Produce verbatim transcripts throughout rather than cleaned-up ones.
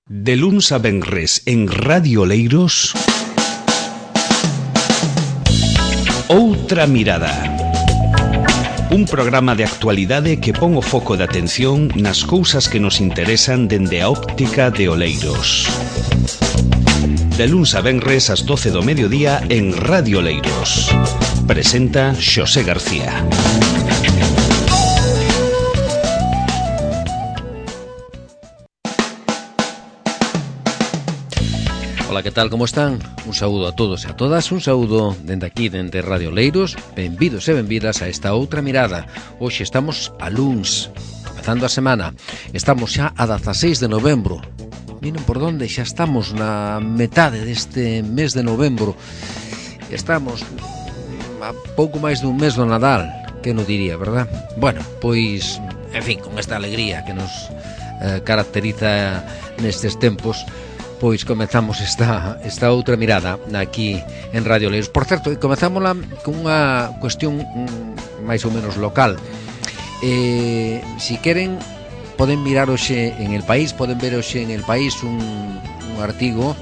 De luns a venres en Radio Oleiros, Outra Mirada. Un programa de actualidade que pon o foco de atención nas cousas que nos interesan dende a óptica de Oleiros. De luns a venres ás doce do mediodía en Radio Oleiros. Presenta Xosé García. Ola, que tal, como están? Un saúdo a todos e a todas, un saúdo dende aquí, dende Radio Oleiros. Benvidos e benvidas a esta outra mirada. Hoxe estamos a luns, comezando a semana. Estamos xa a dezaseis de novembro. Miren por donde, xa estamos na metade deste mes de novembro. Estamos a pouco máis dun mes do Nadal, que non diría, verdad? Bueno, pois, en fin, con esta alegría que nos eh, caracteriza nestes tempos, pois comezamos esta, esta outra mirada aquí en Radio Oleiros. Por certo, comezámola con unha cuestión mm, máis ou menos local. Eh, si queren, poden mirar hoxe en El País, poden ver hoxe en El País un, un artigo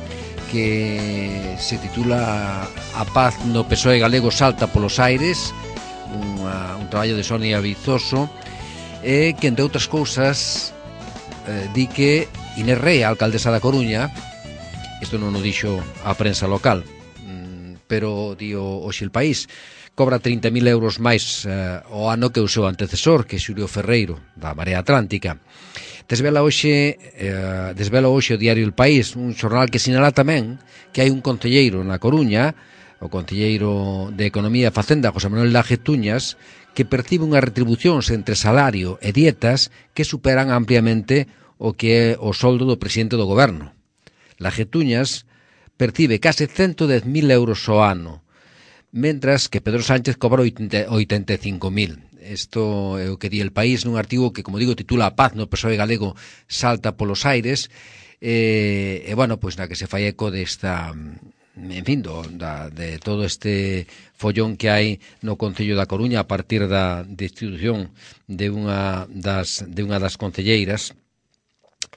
que se titula A paz no P S O E galego salta polos aires, unha, un traballo de Sonia Vizoso, eh, que entre outras cousas eh, di que Inés Rei, a alcaldesa da Coruña, isto non o dixo a prensa local, pero dio hoxe El País, cobra trinta mil euros máis eh, o ano que o seu antecesor, que é Xulio Ferreiro, da Marea Atlántica. Desvela hoxe, eh, desvela hoxe o diario El País, un xornal que sinala tamén que hai un concelleiro na Coruña, o concelleiro de Economía e Facenda, José Manuel Laje Tuñas, que percibe unhas retribucións entre salario e dietas que superan ampliamente o que é o soldo do presidente do goberno. Laje Tuñas percibe case ciento dez mil euros ao ano, mentras que Pedro Sánchez cobra oitenta e cinco mil. Isto é o que di El País nun artigo que, como digo, titula A paz no P S O E galego salta polos aires, e, e bueno, pois na que se fai eco desta, en fin, do, da, de todo este follón que hai no Concello da Coruña a partir da destitución de unha das, de unha das concelleiras.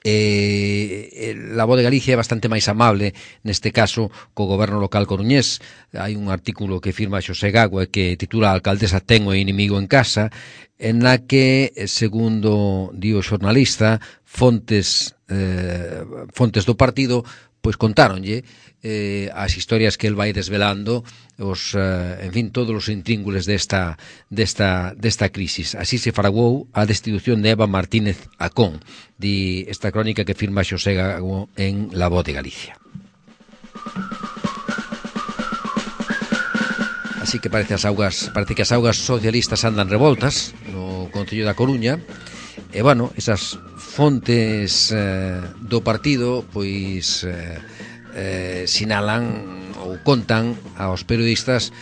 Eh, la Voz de Galicia é bastante máis amable neste caso co goberno local coruñés. Hai un artículo que firma Xosé Gagua que titula A alcaldesa ten o inimigo en casa, en la que, segundo di o xornalista, fontes eh, fontes do partido pois contáronlle eh, as historias que el vai desvelando, os, eh, en fin, todos os intríngules desta, desta, desta crisis. Así se fraguou a destitución de Eva Martínez Acón, di esta crónica que firma Xosé Gago en La Voz de Galicia. Así que parece, as augas, parece que as augas socialistas andan revoltas no Concello da Coruña, e, bueno, esas fontes eh, do partido pois eh, eh, sinalan ou contan aos periodistas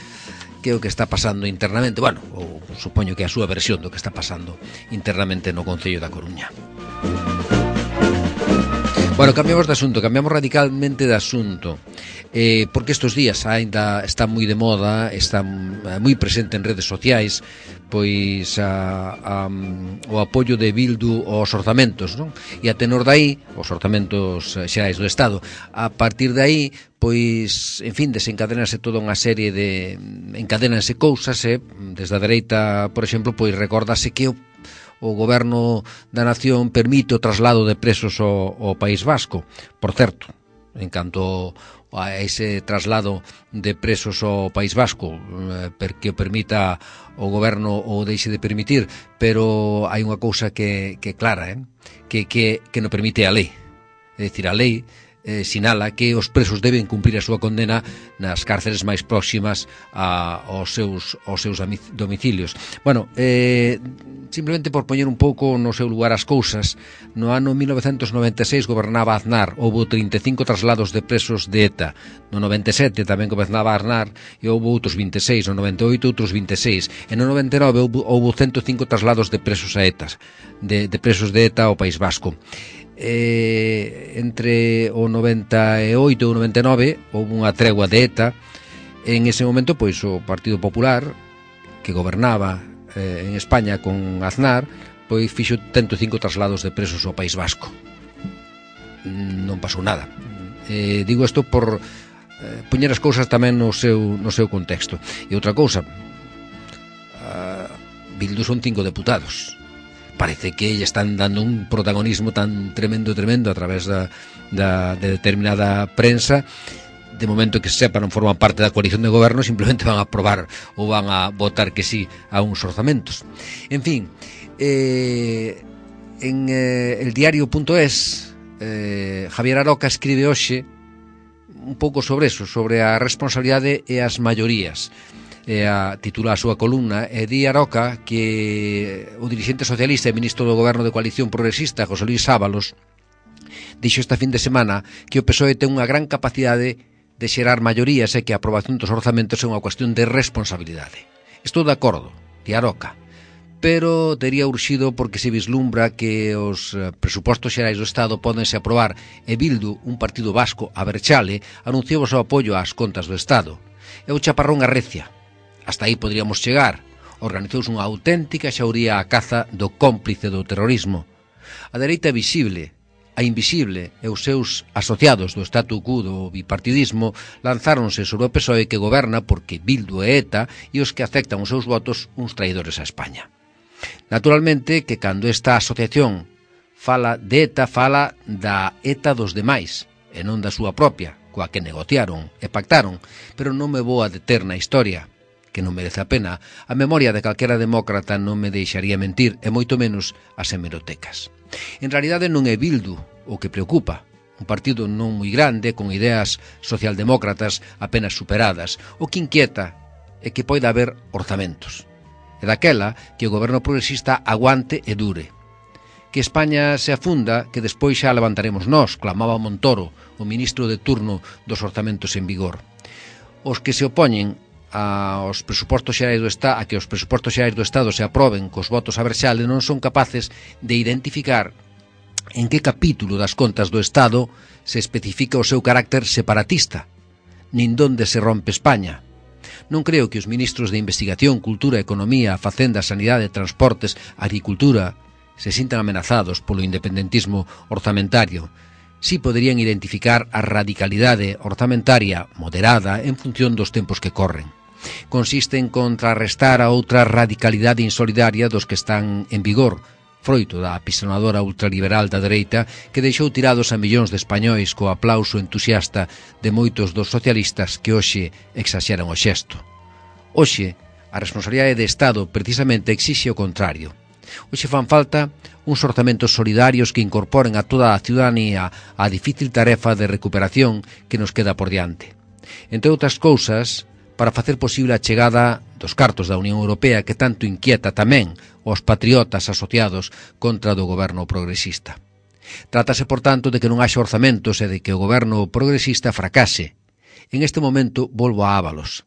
que o que está pasando internamente, bueno, ou supoño que a súa versión do que está pasando internamente no Concello da Coruña. Bueno, cambiamos de asunto, cambiamos radicalmente de asunto, eh, porque estes días ainda está moi de moda, está moi presente en redes sociais, pois a, a, o apoio de Bildu aos orzamentos, non? E a tenor dai, os orzamentos xerais do Estado, a partir de aí, pois, en fin, desencadenase toda unha serie de, encadénanse cousas, e desde a dereita, por exemplo, pois recórdase que o o goberno da nación permite o traslado de presos ao, ao País Vasco. Por certo, en canto a ese traslado de presos ao País Vasco, eh, porque o permita o goberno ou deixe de permitir, pero hai unha cousa que, que clara, eh? que, que, que non permite a lei. É dicir, a lei eh, sinala que os presos deben cumprir a súa condena nas cárceles máis próximas a, aos, seus, aos seus domicilios. Bueno, eh, simplemente por poñer un pouco no seu lugar as cousas, no ano mil novecentos noventa e seis gobernaba Aznar, houve trinta e cinco traslados de presos de ETA. No noventa e sete tamén gobernaba Aznar e houve outros vinte e seis, no noventa e oito outros vinte e seis, e no noventa e nove houve, houve ciento cinco traslados de presos a ETA, de, de presos de ETA ao País Vasco. Eh, entre o noventa e oito e o noventa e nove houve unha tregua de ETA. En ese momento, pois, o Partido Popular, que gobernaba eh, en España con Aznar, pois fixo ciento cinco traslados de presos ao País Vasco. non pasou nada. Eh, digo isto por eh, poñer as cousas tamén no seu, no seu contexto. E outra cousa, uh, Bildu son cinco deputados. Parece que lle están dando un protagonismo tan tremendo, tremendo a través da, da, de determinada prensa. De momento que se sepa non forman parte da coalición de goberno, simplemente van a aprobar ou van a votar que sí a uns orzamentos. En fin, eh, en eh, el diario punto es eh, Javier Aroca escribe hoxe un pouco sobre eso, sobre a responsabilidade e as maiorías. E a titula a súa columna e di Aroca que o dirixente socialista e ministro do goberno de coalición progresista José Luis Ábalos dixo esta fin de semana que o P S O E ten unha gran capacidade de xerar maiorías e que a aprobación dos orzamentos é unha cuestión de responsabilidade. Estou de acordo, di Aroca, pero tería urxido porque se vislumbra que os presupostos xerais do Estado pódense aprobar e Bildu, un partido vasco aberchale, anunciou o seu apoio ás contas do Estado. É o chaparrón arrecia. Hasta aí podríamos chegar. Organizouse unha auténtica xauría a caza do cómplice do terrorismo. A dereita visible, a invisible e os seus asociados do statu quo do bipartidismo lanzáronse sobre o P S O E que goberna porque Bildu e ETA e os que aceptan os seus votos uns traidores a España. Naturalmente que cando esta asociación fala de ETA, fala da ETA dos demais e non da súa propia, coa que negociaron e pactaron, pero non me vou a deter na historia, que non merece a pena. A memoria de calquera demócrata non me deixaría mentir, e moito menos as hemerotecas. En realidade non é Bildu o que preocupa, un partido non moi grande, con ideas socialdemócratas apenas superadas. O que inquieta é que poida haber orzamentos. E daquela que o goberno progresista aguante e dure. Que España se afunda, que despois xa levantaremos nós, clamaba Montoro, o ministro de turno dos orzamentos en vigor. Os que se opoñen aos presupostos xerais do Estado, a que os presupostos xerais do Estado se aproben cos votos a verxale non son capaces de identificar en que capítulo das contas do Estado se especifica o seu carácter separatista, nin donde se rompe España. Non creo que os ministros de Investigación, Cultura, Economía, Facenda, Sanidade, Transportes, Agricultura se sintan amenazados polo independentismo orzamentario. Si poderían identificar a radicalidade orzamentaria moderada en función dos tempos que corren. Consiste en contrarrestar a outra radicalidade insolidaria dos que están en vigor, froito da apisonadora ultraliberal da dereita que deixou tirados a millóns de españois co aplauso entusiasta de moitos dos socialistas que hoxe exaxeran o xesto. Hoxe, a responsabilidade de Estado precisamente exixe o contrario. Hoxe fan falta uns orzamentos solidarios que incorporen a toda a ciudadanía á difícil tarefa de recuperación que nos queda por diante. Entre outras cousas, para facer posible a chegada dos cartos da Unión Europea que tanto inquieta tamén os patriotas asociados contra do goberno progresista. Trátase, por tanto, de que non haxa orzamentos e de que o goberno progresista fracase. En este momento volvo a Ábalos.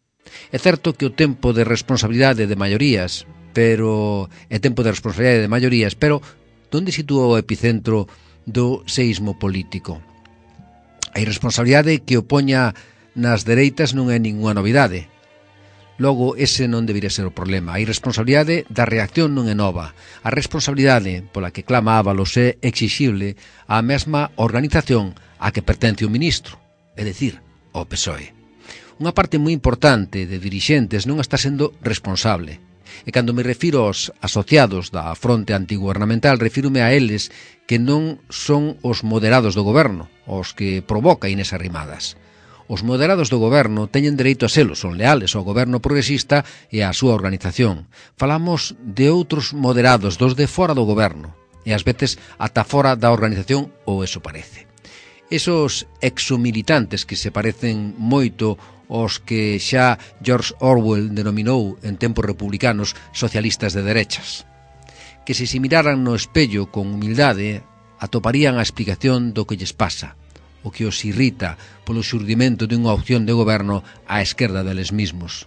É certo que o tempo de responsabilidade de maiorías, pero é tempo de responsabilidade de maiorías, pero onde sitúa o epicentro do seísmo político? A irresponsabilidade que opoña nas dereitas non é ninguna novidade. Logo, ese non debería ser o problema. A irresponsabilidade da reacción non é nova. A responsabilidade pola que clama Ábalos é exixible á mesma organización a que pertence o ministro, é dicir, ao P S O E. Unha parte moi importante de dirixentes non está sendo responsable. E cando me refiro aos asociados da fronte antigubernamental, refírome a eles que non son os moderados do goberno, os que provoca Inés Arrimadas. Os moderados do goberno teñen dereito a selo, son leales ao goberno progresista e á súa organización. Falamos de outros moderados, dos de fora do goberno, e ás veces ata fora da organización, ou eso parece. Esos exomilitantes que se parecen moito aos que xa George Orwell denominou en tempos republicanos socialistas de derechas. Que se se miraran no espello con humildade, atoparían a explicación do que lles pasa, o que os irrita polo xurdimento dunha opción de goberno á esquerda deles mismos.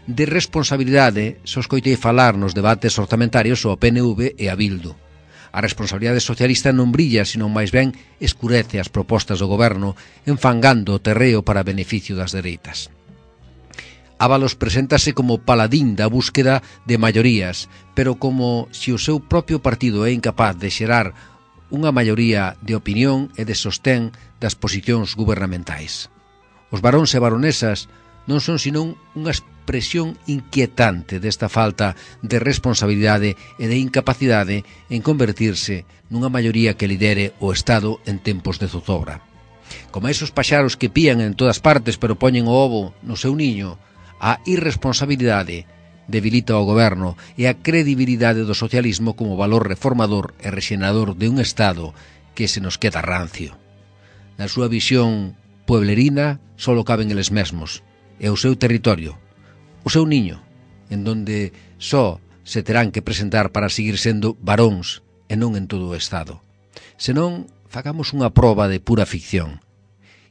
De responsabilidade, só escoitei falar nos debates orzamentarios ao P N V e a Bildu. A responsabilidade socialista non brilla, senón máis ben escurece as propostas do goberno, enfangando o terreo para beneficio das dereitas. Ábalos preséntase como paladín da búsqueda de maiorías, pero como se o seu propio partido é incapaz de xerar unha maioría de opinión e de sostén das posicións gubernamentais. Os varóns e baronesas non son senón unha expresión inquietante desta falta de responsabilidade e de incapacidade en convertirse nunha maioría que lidere o Estado en tempos de zozobra. Como esos paxaros que pían en todas partes pero poñen o ovo no seu niño, a irresponsabilidade debilita o goberno e a credibilidade do socialismo como valor reformador e rexenador de un Estado que se nos queda rancio. Na súa visión pueblerina só caben eles mesmos e o seu territorio, o seu niño, en donde só se terán que presentar para seguir sendo varóns e non en todo o Estado. Senón, facamos unha proba de pura ficción.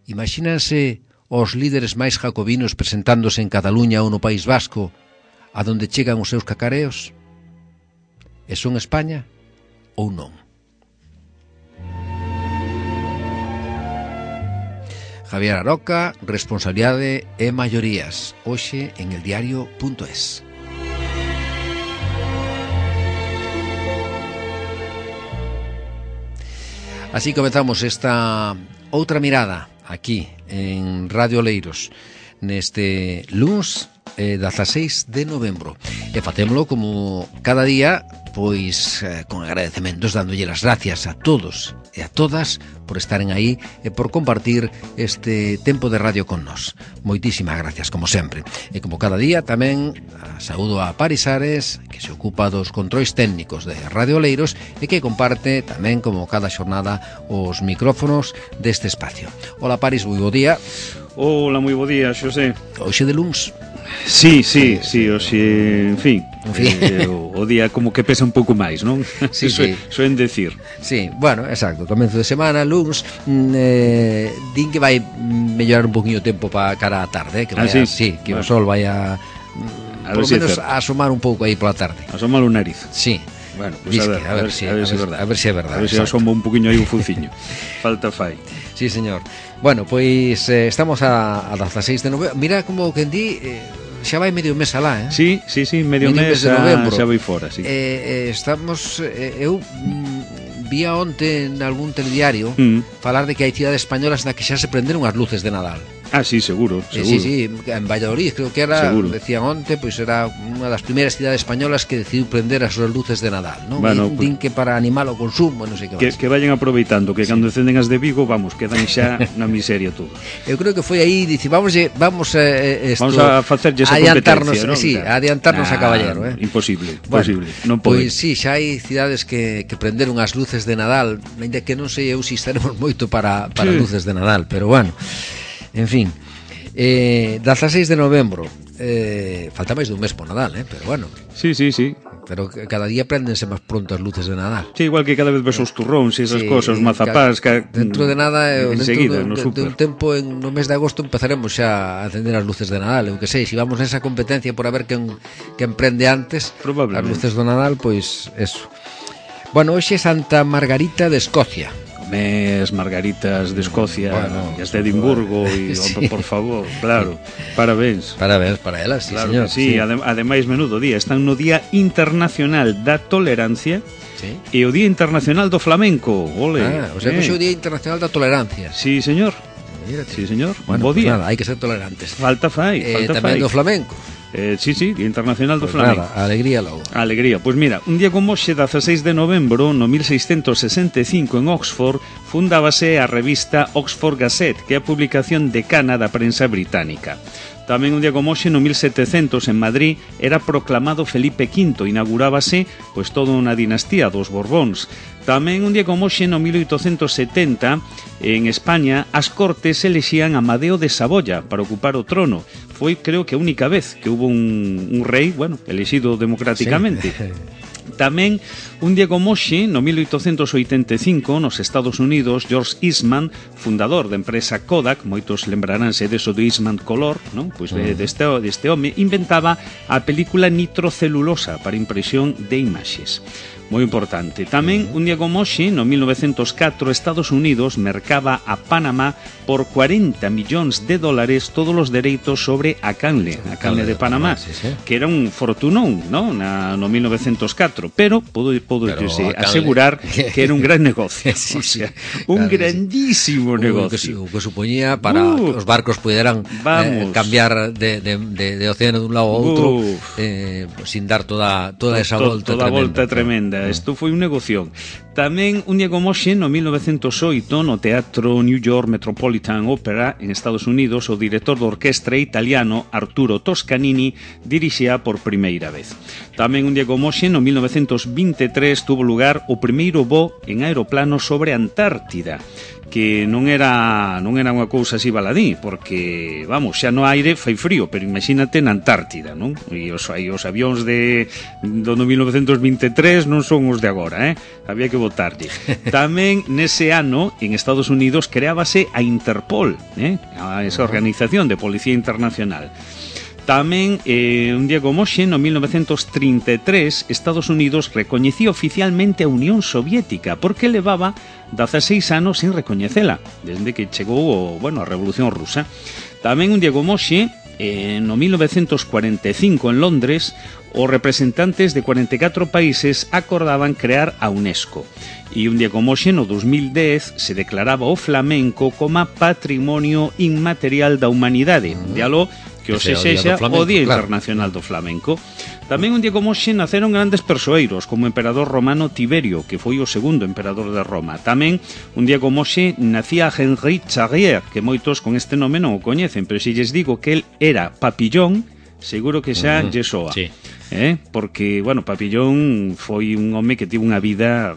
Imagínanse os líderes máis jacobinos presentándose en Cataluña ou no País Vasco, a donde chegan os seus cacareos? E son España ou non? Javier Aroca, responsabilidade e maiorías. Hoxe en el diario punto es. Así comezamos esta outra mirada aquí en Radio Oleiros neste luns eh, dezaseis de novembro, e facémolo como cada día, pois eh, con agradecementos, dándolle as gracias a todos e a todas por estaren aí e por compartir este tempo de radio con nós. Moitísimas gracias, como sempre. E como cada día tamén saúdo a Paris Ares, que se ocupa dos controis técnicos de Radio Oleiros e que comparte tamén, como cada xornada, os micrófonos deste espacio. Hola Paris, moi bo día. Hola, moi bo día, Xosé. Hoxe de luns. Sí, sí, sí, hoxe, en fin, en fin. Eh, o, o día como que pesa un pouco máis, non? Sí, sí. Soen decir. Sí, bueno, exacto, comenzo de semana, luns, eh, din que vai mellorar un poquinho o tempo para cara á tarde, eh, que vai ah, sí? a, sí, que bueno. o sol vai a, a por lo menos a asomar un pouco aí pola tarde. Asomar o nariz. Sí. Bueno, pues a, ver, a, ver, a ver si, a ver si é verdade. A ver si é verdade. A ver se si asoma un poquinho aí un fuciño. Falta fai. Sí, señor. Bueno, pois eh, estamos a, a dezaseis de novembro. Mira como que di, eh, xa vai medio mes alá, eh? Sí, sí, sí, medio, medio mes, mes de novembro. Xa vai fora, sí. Eh, eh, estamos, eh, eu mm, vía onte en algún telediario mm. falar de que hai cidades españolas na que xa se prenderon as luces de Nadal. Ah, sí, seguro, seguro. Eh, sí, sí, en Valladolid creo que era, seguro. Decían onte, pois pues era unha das primeiras cidades españolas que decidiu prender as súas luces de Nadal, non? Bueno, din, din que para animar o consumo, non sei que que, que vayan aproveitando, que sí. Cando encenden as de Vigo, vamos, quedan xa na miseria todo. Eu creo que foi aí, dice, vamos vamos eh, esto, vamos a facerlle esa competencia, non? Sí, a adiantarnos nah, a caballero, eh. Imposible, bueno, imposible, non pode. Pois sí, xa hai cidades que, que prenderon as luces de Nadal, ainda que non sei eu se estaremos moito para, para sí. luces de Nadal, pero bueno, en fin. Eh, dezaseis de novembro, eh, falta máis dun mes por Nadal, eh, pero bueno. Sí, sí, sí. Pero cada día prendense máis pronto as luces de Nadal. Sí, igual que cada vez ves os turróns e esas sí, cosas, os mazapás que, dentro de nada, en dentro seguida, de, no de, de un tempo en, no mes de agosto empezaremos xa a acender as luces de Nadal. Eu que sei, se vamos nesa competencia por a ver quen, quen prende antes as luces do Nadal, pois eso. Bueno, hoxe é Santa Margarita de Escocia. Mes, margaritas de Escocia, bueno, e as de Edimburgo e, sí. Por favor, claro, parabéns. Parabéns para elas, sí, claro señor. Sí, sí. Adem ademais, menudo día. Están no Día Internacional da Tolerancia, sí. E o Día Internacional do Flamenco. Ole. Ah, o sea, eh. que é o Día Internacional da Tolerancia. Sí, señor. Mírate. Sí, señor. Bueno, bo pues día. Nada, hai que ser tolerantes. Falta fai, eh, falta tamén fai. do flamenco. Eh, sí, sí, Día Internacional do pues Flamenco. Nada, alegría logo. Alegría. Pois pues mira, un día como hoxe, dezaseis de novembro, no mil seiscentos sesenta e cinco en Oxford, fundábase a revista Oxford Gazette, que é a publicación decana da prensa británica. Tamén un día como hoxe, no mil setecentos, en Madrid, era proclamado Felipe quinto, inaugurábase pois toda unha dinastía dos Borbóns. Tamén un día como hoxe, no mil oitocentos setenta, en España, as Cortes elexían a Amadeo de Saboya para ocupar o trono. Foi, creo que, a única vez que hubo un, un rei, bueno, elexido democráticamente. Sí. Tamén, un día como hoxe, no mil oitocentos oitenta e cinco, nos Estados Unidos, George Eastman, fundador da empresa Kodak, moitos lembraránse deso do Eastman Color, non? Pois de, deste, deste home, inventaba a película nitrocelulosa para impresión de imaxes. moi importante. Tamén, un día como hoxe, no mil novecientos catro, Estados Unidos mercaba a Panamá por cuarenta millóns de dólares todos os dereitos sobre a canle, a canle de Panamá, sí, sí. Que era un fortunón, ¿no? Na, no mil novecientos catro, pero podo, podo pero asegurar canle... que era un gran negocio, sí, o sea, sí, un claro, grandísimo sí. negocio. O que, que supoñía para uh, que os barcos puderan eh, cambiar de, de, de, de océano de un lado a outro uh, eh, sin dar toda, toda esa to, volta toda tremenda. volta tremenda. Isto foi un negocio. Tamén, un día como hoxe, no mil novecientos oito, no Teatro New York Metropolitan Opera, en Estados Unidos, o director de orquestra italiano Arturo Toscanini dirixía por primeira vez. Tamén, un día como hoxe, no mil novecientos veintitrés, tuvo lugar o primeiro voo en aeroplano sobre a Antártida, que non era non era unha cousa así baladí, porque, vamos, xa no aire fai frío, pero imagínate na Antártida, non? E os, aí, os avións de do mil novecientos veintitrés non son os de agora, eh? Había que votarlle. Tamén, nese ano, en Estados Unidos, creábase a Interpol, eh? A esa organización de policía internacional. Tamén, eh, un día como hoxe, no mil novecientos trinta e tres, Estados Unidos recoñecía oficialmente a Unión Soviética, porque levaba dezaseis anos sin recoñecela, desde que chegou o, bueno, a Revolución Rusa. Tamén, un día como hoxe, eh, no mil novecientos cuarenta e cinco, en Londres, os representantes de cuarenta e catro países acordaban crear a UNESCO. E un día como hoxe, no dos mil dez, se declaraba o flamenco como patrimonio inmaterial da humanidade. De aló que o se sexa o Día Internacional do Flamenco. Tamén un día como hoxe naceron grandes persoeiros, como o emperador romano Tiberio, que foi o segundo emperador de Roma. Tamén un día como hoxe nacía Henri Charrier, que moitos con este nome non o coñecen, pero se lles digo que el era Papillón, seguro que xa uh-huh. lle soa. Sí. Eh? Porque, bueno, Papillón foi un home que tivo unha vida...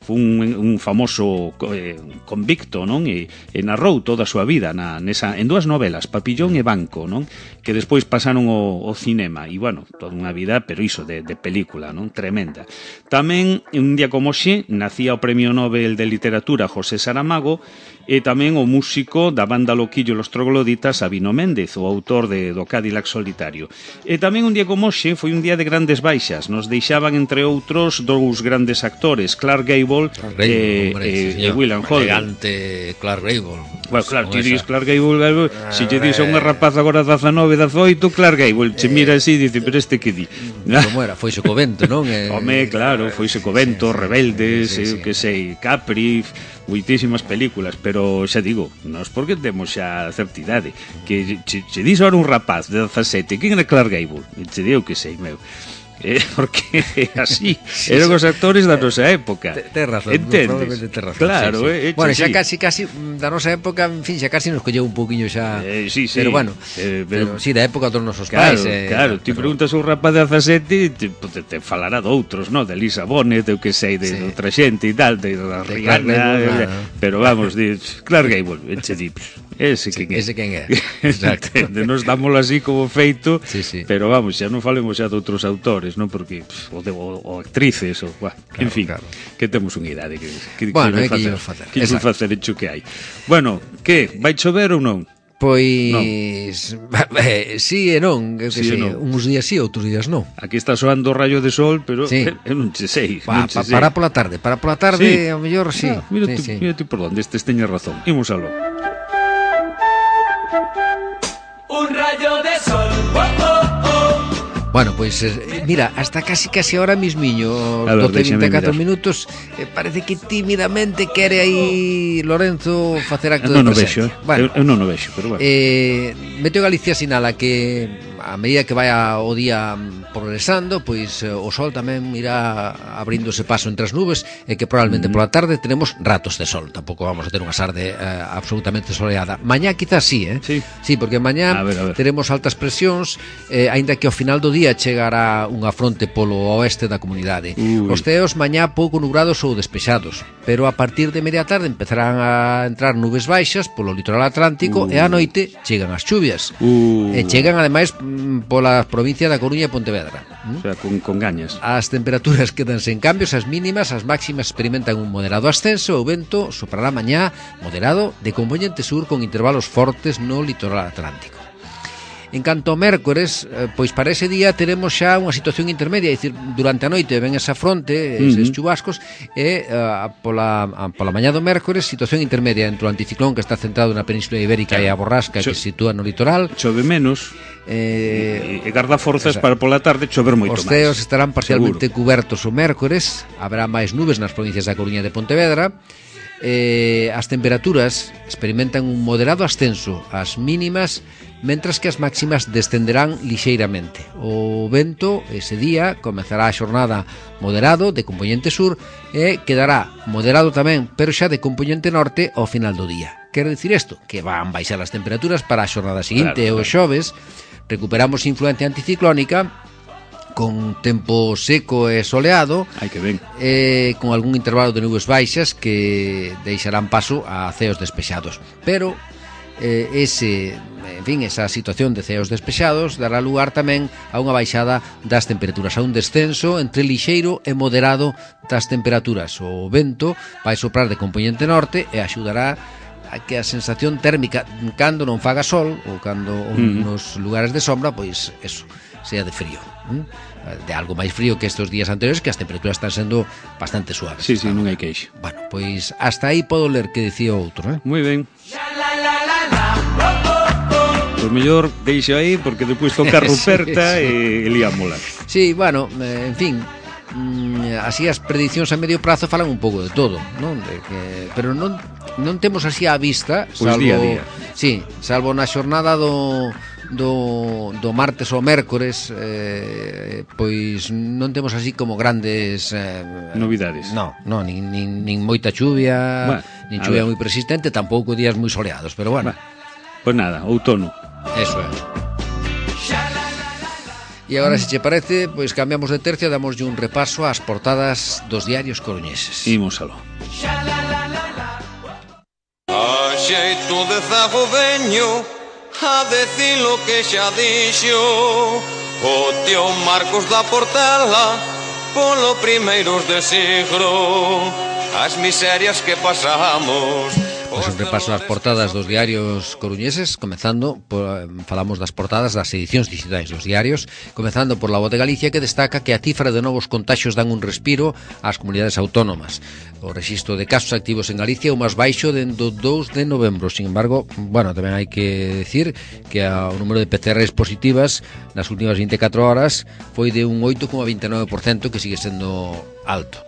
foi un, un famoso eh, convicto, non? E, e narrou toda a súa vida na, nesa, en dúas novelas, Papillón e Banco, non? Que despois pasaron ao, ao cinema e, bueno, toda unha vida, pero iso, de, de película, non? Tremenda. Tamén, un día como hoxe, nacía o Premio Nobel de Literatura José Saramago e tamén o músico da banda Loquillo e los Trogloditas Sabino Méndez, o autor de do Cadillac Solitario. E tamén un día como hoxe foi un día de grandes baixas. Nos deixaban, entre outros, dous grandes actores, Clark Gable e, e, e William Holden. Elegante Clark Gable. Bueno, claro, ti dis Clark Gable, ah, se lle dis a unha rapaz agora dezanove, dezoito, Clark Gable, che mira así e dice, pero este que di? Como era? Foise co vento, non? Home, claro, foise co vento, Rebeldes, eu que sei, Capri, moitísimas películas, pero xa digo, nós porque temos xa certa idade, que che, che dis ahora un rapaz de dezasete, quen é Clark Gable? E che digo que sei, meu. Eh, porque así sí, eran os actores da nosa época. Ten razón, probablemente ten razón. Claro, sí, sí. Eh, bueno, xa sí. casi casi da nosa época, en fin, xa casi nos colleu un poquinho xa. Eh, sí, sí. Pero bueno, eh, pero, pero sí, da época dos nosos claro, pais, eh, claro, ti pero... preguntas a un rapaz de dezasete, te, te, te falará de outros, ¿no? De Lisa Bonet, eu que sei, de, sí. de outra xente e tal, de, de Rihanna, no. Pero vamos, de Clark Gable, eche di, ese sí, quen é. Ese quen é. Exacto. Nos dámoslo así como feito, sí, sí. Pero vamos, xa non falemos xa de outros autores, non? Porque pff, o, de, o, o actrices, o, bah, claro, en fin, claro. Que temos unha idade que, que, bueno, que, que facer, que facer, facer hecho que hai. Bueno, que, vai chover ou non? Pois no. eh, sí e non, que sí sei, non. Uns días sí, outros días non. Aquí está soando o rayo de sol, pero sí. eu non che sei, pa, non che pa, sei. Para pola tarde, para pola tarde, sí. Ao mellor sí. Ah, mira, sí, tú, sí. mira tú por onde estes teñes razón. Imos aló. Un rayo de sol. Oh, oh, oh. Bueno, pois, pues, eh, mira, hasta casi casi ahora mismiño, doce vinte e catro minutos, eh, parece que tímidamente quere aí Lorenzo facer acto eu non de presencia. Vexo, eh? Bueno, eu, eu non o vexo, pero bueno. Eh, Meteo Galicia sinala que a medida que vai o día progresando, pois o sol tamén irá abríndose paso entre as nubes e que probablemente mm. pola tarde tenemos ratos de sol. Tampouco vamos a ter unha tarde eh, absolutamente soleada. Mañá quizás sí, eh? Sí, sí porque mañá a ver, a ver. teremos altas presións, eh, aínda que ao final do día chegará unha fronte polo oeste da comunidade. Ui. Os ceos mañá pouco nubrados ou despexados, pero a partir de media tarde empezarán a entrar nubes baixas polo litoral atlántico Ui. E á noite chegan as chuvias. Ui. E chegan ademais pola provincia da Coruña e Pontevedra. ¿Mm? O sea, con, con gañas. As temperaturas quedanse en cambios, as mínimas, as máximas experimentan un moderado ascenso, o vento soprará mañá moderado de componente sur con intervalos fortes no litoral atlántico. En canto ao mércores, eh, pois para ese día teremos xa unha situación intermedia, é dicir, durante a noite ven esa fronte, eses uh-huh. chubascos, e uh, pola, a, pola mañá do mércores, situación intermedia entre o anticiclón que está centrado na Península Ibérica claro. e a borrasca Cho que se sitúa no litoral. Chove menos. Eh, e, e garda forzas para pola tarde chover moito máis. Os ceos estarán parcialmente seguro. Cubertos o mércores, haberá máis nubes nas provincias da Coruña e de Pontevedra. Eh, as temperaturas experimentan un moderado ascenso ás mínimas, mentras que as máximas descenderán lixeiramente. O vento ese día comezará a xornada moderado de compoñente sur e quedará moderado tamén, pero xa de compoñente norte ao final do día. Quero dicir isto, que van baixar as temperaturas para a xornada seguinte claro, claro. E o xoves recuperamos influencia anticiclónica con tempo seco e soleado. Ai, que ben. Eh, con algún intervalo de nubes baixas que deixarán paso a ceos despexados. Pero eh, ese, en fin, esa situación de ceos despexados dará lugar tamén a unha baixada das temperaturas, a un descenso entre lixeiro e moderado das temperaturas. O vento vai soprar de compoñente norte e axudará a que a sensación térmica cando non faga sol ou cando mm. nos lugares de sombra, pois eso, sea de frío, ¿eh? De algo máis frío que estes días anteriores, que as temperaturas están sendo bastante suaves. Sí, sí, non hai queixo. Bueno, pois hasta aí podo ler que dicía outro, eh? Moi ben. Pois mellor deixo aí porque depois toca Ruperta sí, sí. e liámola. Sí, bueno, eh, en fin, mm, así as predicións a medio prazo falan un pouco de todo, non? De que, pero non non temos así á vista, salvo, pues día a día. Sí, salvo na xornada do do, do martes ou mércores, eh, pois non temos así como grandes eh, novidades. No, no, nin, nin, nin moita chuvia, bueno, nin chuvia moi persistente, tampouco días moi soleados, pero bueno. Bueno, pois nada, outono. Eso é. E agora, se che parece, pois cambiamos de tercio, damoslle un repaso ás portadas dos diarios coruñeses. Imos aló. A xeito de zago veño a decir lo que xa dixo o tío Marcos da Portela polo primeiros de siglo, as miserias que pasamos. Pois un repaso ás portadas dos diarios coruñeses, comezando por, falamos das portadas das edicións digitais dos diarios, comezando por La Voz de Galicia, que destaca que a cifra de novos contaxios dan un respiro ás comunidades autónomas. O rexistro de casos activos en Galicia é o máis baixo dende o dous de novembro. Sin embargo, bueno, tamén hai que decir que o número de P C Rs positivas nas últimas vinte e catro horas foi de un oito coma vinte e nove por cento, que sigue sendo alto.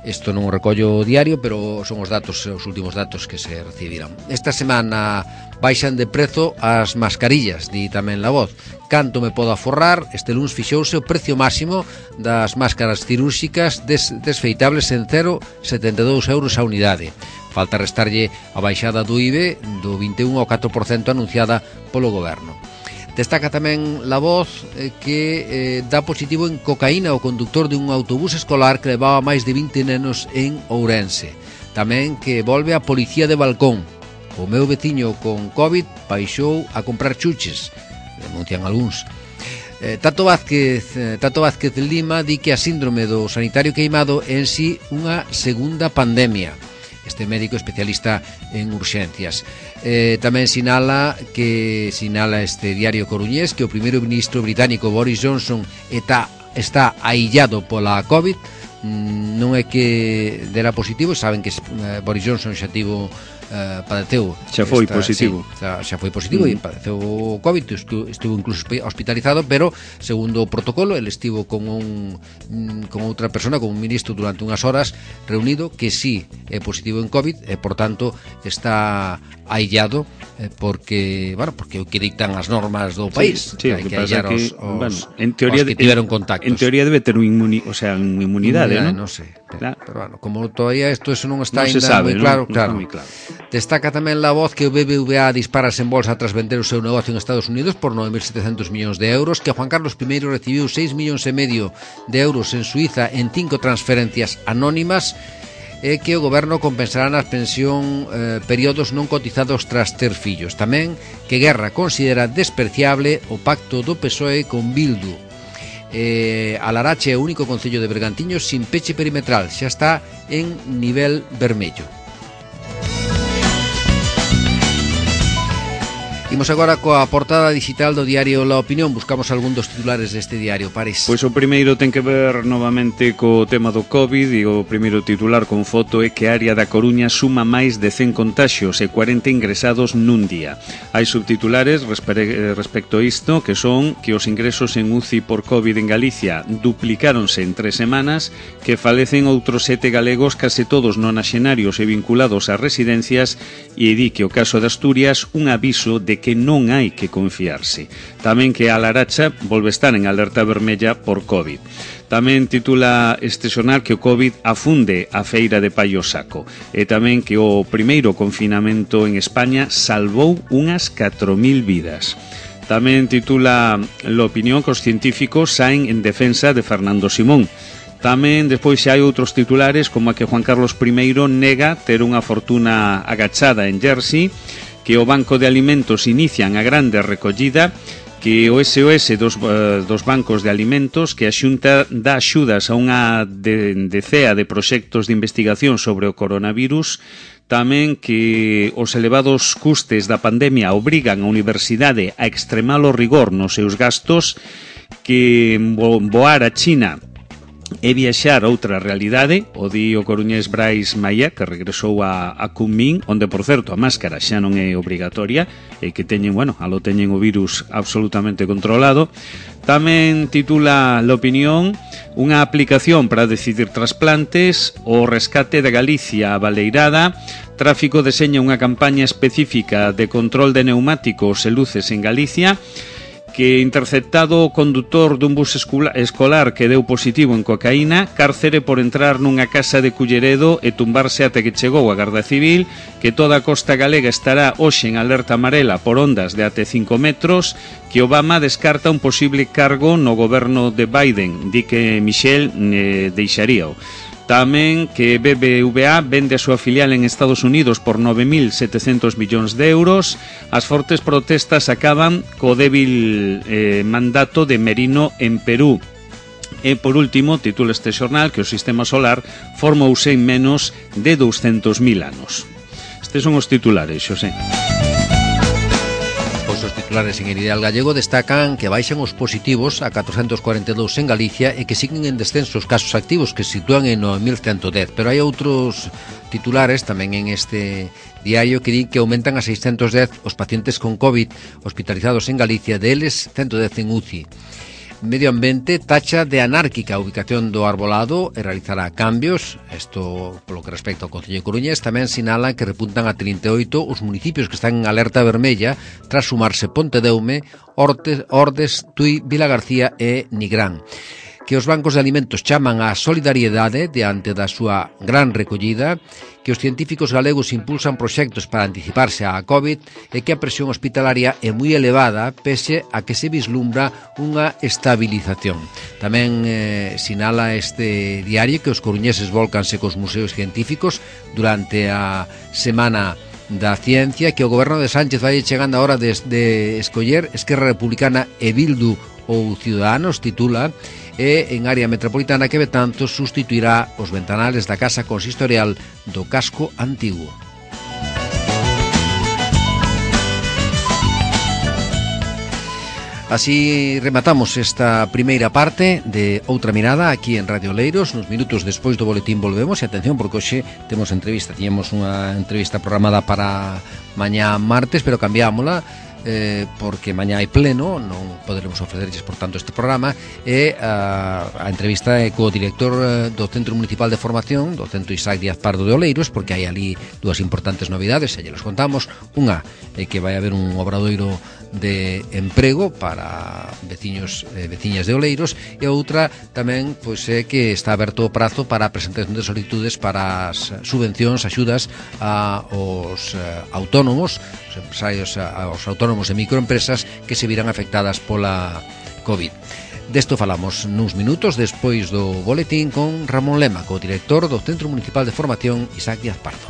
Isto non o recollo o diario, pero son os datos, os últimos datos que se recibiran. Esta semana baixan de prezo as mascarillas, di tamén La Voz. Canto me podo aforrar, este luns fixouse o precio máximo das máscaras cirúrxicas des, desfeitables en cero coma setenta e dous euros a unidade. Falta restarlle a baixada do I V E do vinte e un ao catro por cento anunciada polo goberno. Destaca tamén La Voz eh, que eh, dá positivo en cocaína o conductor de un autobús escolar que levaba máis de vinte nenos en Ourense. Tamén que volve a policía de balcón. O meu veciño con COVID baixou a comprar chuches, denuncian algúns. Eh, Tato Vázquez, eh, Tato Vázquez Lima di que a síndrome do sanitario queimado é en sí unha segunda pandemia. Este médico especialista en urxencias. Eh, tamén sinala que sinala este diario coruñés que o primeiro ministro británico Boris Johnson está, está aillado pola COVID. Mm, non é que dera positivo, saben que eh, Boris Johnson xa tivo Uh, padeceu xa foi esta, positivo sí, xa, xa foi positivo mm. e padeceu o COVID, estuvo, estuvo incluso hospitalizado, pero segundo o protocolo ele estivo con un con outra persona, con un ministro durante unhas horas reunido que sí é positivo en COVID e por tanto está aillado eh, porque, bueno, porque o que dictan as normas do país, sí, sí, que hai que, que aillar que, os, os, bueno, en teoría, os que tiveron contactos. En teoría debe ter un inmuni, o sea, unha inmunidade, inmunidade, ¿no? non sei, claro. Pero bueno, como todavía isto eso non está non ainda sabe, moi claro, non, claro. Non moi claro. Destaca tamén La Voz que o B B V A disparase en bolsa tras vender o seu negocio en Estados Unidos por nove mil setecentos millóns de euros, que Juan Carlos primeiro recibiu seis millóns e medio de euros en Suiza en cinco transferencias anónimas, e que o goberno compensará nas pensión eh, períodos non cotizados tras ter fillos. Tamén que Guerra considera despreciable o pacto do P S O E con Bildu. Eh, a Larache é o único concello de Bergantiños sin peche perimetral, xa está en nivel vermello. Imos agora coa portada digital do diario La Opinión. Buscamos algún dos titulares deste diario, París. Pois o primeiro ten que ver novamente co tema do COVID, e o primeiro titular con foto é que a área da Coruña suma máis de cen contaxios e cuarenta ingresados nun día. Hai subtitulares respecto a isto, que son que os ingresos en U C I por COVID en Galicia duplicáronse en tres semanas, que falecen outros sete galegos, case todos nonaxenarios e vinculados a residencias, e di que o caso de Asturias un aviso de que non hai que confiarse. Tamén que a Laracha volve estar en alerta vermella por COVID. Tamén titula este xornal que o COVID afunde a feira de Paio Saco, e tamén que o primeiro confinamento en España salvou unhas catro mil vidas. Tamén titula La Opinión que os científicos saen en defensa de Fernando Simón. Tamén despois xa hai outros titulares, como a que Juan Carlos primeiro nega ter unha fortuna agachada en Jersey, que o Banco de Alimentos inician a grande recollida, que o S O S dos, uh, dos bancos de alimentos, que a Xunta dá axudas a unha de, decea de proxectos de investigación sobre o coronavirus, tamén que os elevados custes da pandemia obrigan a universidade a extremar o rigor nos seus gastos, que voar a China e viaxar a outra realidade, o di o coruñés Brais Maia, que regresou a, a Kunming, onde, por certo, a máscara xa non é obrigatoria, e que teñen, bueno, alo teñen o virus absolutamente controlado. Tamén titula La Opinión unha aplicación para decidir trasplantes, o rescate de Galicia a Baleirada, Tráfico deseña unha campaña específica de control de neumáticos e luces en Galicia, que interceptado o condutor dun bus escolar que deu positivo en cocaína, cárcere por entrar nunha casa de Culleredo e tumbarse até que chegou a Garda Civil, que toda a costa galega estará hoxe en alerta amarela por ondas de até cinco metros, que Obama descarta un posible cargo no goberno de Biden, di que Michel eh, deixaríao. Tamén que B B V A vende a súa filial en Estados Unidos por nove mil setecentos millóns de euros. As fortes protestas acaban co débil eh, mandato de Merino en Perú. E, por último, titula este xornal que o sistema solar formouse en menos de douscentos mil anos. Estes son os titulares, Xosé. Os titulares en el Ideal Gallego destacan que baixan os positivos a catrocentos cuarenta e dous en Galicia e que siguen en descenso os casos activos, que se sitúan en nove mil ciento dez. Pero hai outros titulares tamén en este diario que di que aumentan a seiscentos dez os pacientes con COVID hospitalizados en Galicia, deles ciento dez en U C I. Medio Ambiente tacha de anárquica a ubicación do arbolado e realizará cambios. Isto polo que respecta ao Concello de Coruñés. Tamén sinalan que repuntan a trinta e oito os municipios que están en alerta vermella tras sumarse Pontedeume, Ortes, Ordes, Tui, Vilagarcía e Nigrán. Que os bancos de alimentos chaman á solidariedade diante da súa gran recollida, que os científicos galegos impulsan proxectos para anticiparse á COVID e que a presión hospitalaria é moi elevada pese a que se vislumbra unha estabilización. Tamén eh, sinala este diario que os coruñeses volcanse cos museos científicos durante a Semana da Ciencia, que o goberno de Sánchez vai chegando a hora de, de escoller Esquerra Republicana e Bildu ou Ciudadanos, titula, e en área metropolitana que Betanzos sustituirá os ventanales da casa consistorial do casco antigo. Así rematamos esta primeira parte de Outra Mirada aquí en Radio Oleiros. Nos minutos despois do boletín volvemos, e atención porque hoxe temos entrevista. Tiñamos unha entrevista programada para mañá martes, pero cambiámola eh, porque mañá hai pleno, non poderemos ofrecerlles por tanto este programa, e a, a entrevista é co director do Centro Municipal de Formación do Centro Isaac Díaz Pardo de Oleiros, porque hai ali dúas importantes novidades, e lle los contamos. Unha é que vai haber un obradoiro de emprego para veciños e eh, veciñas de Oleiros, e outra tamén pois é que está aberto o prazo para a presentación de solicitudes para as subvencións, axudas a os eh, autónomos, os empresarios, aos autónomos e microempresas que se viran afectadas pola COVID. Desto falamos nuns minutos despois do boletín con Ramón Lema, co director do Centro Municipal de Formación Isaac Díaz Pardo.